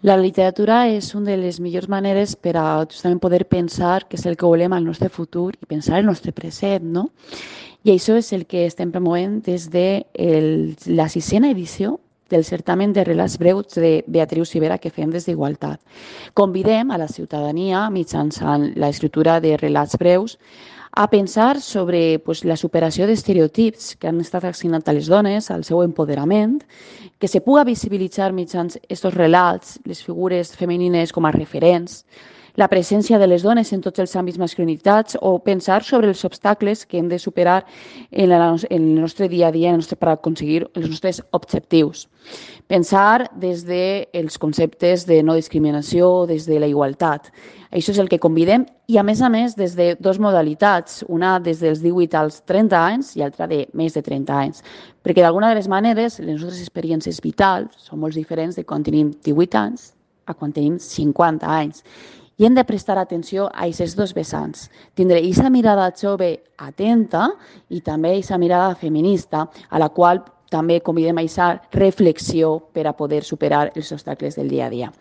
La literatura és una de les millors maneres per a justament poder pensar què és el que volem al nostre futur i pensar el nostre present, no? I això és el que estem promovent des de la sisena edició del certamen de relats breus de Beatriu Civera que fem des d'Igualtat. Convidem a la ciutadania, mitjançant l'escriptura de relats breus, a pensar sobre la superació d'estereotips que han estat assignats a les dones, al seu empoderament, que se puga visibilitzar mitjans estos relats, les figures femenines com a referents, la presència de les dones en tots els àmbits masculinitats o pensar sobre els obstacles que hem de superar en el nostre dia a dia per aconseguir els nostres objectius. Pensar des dels conceptes de no discriminació, des de la igualtat. Això és el que convidem i, a més, des de dues modalitats, una des dels 18 als 30 anys i altra de més de 30 anys. Perquè d'alguna de les maneres les nostres experiències vitals són molt diferents de quan tenim 18 anys a quan tenim 50 anys. I hem de prestar atenció a aquests dos vessants. Tindre aquesta mirada jove atenta i també aquesta mirada feminista a la qual també convidem a aquesta reflexió per a poder superar els obstacles del dia a dia.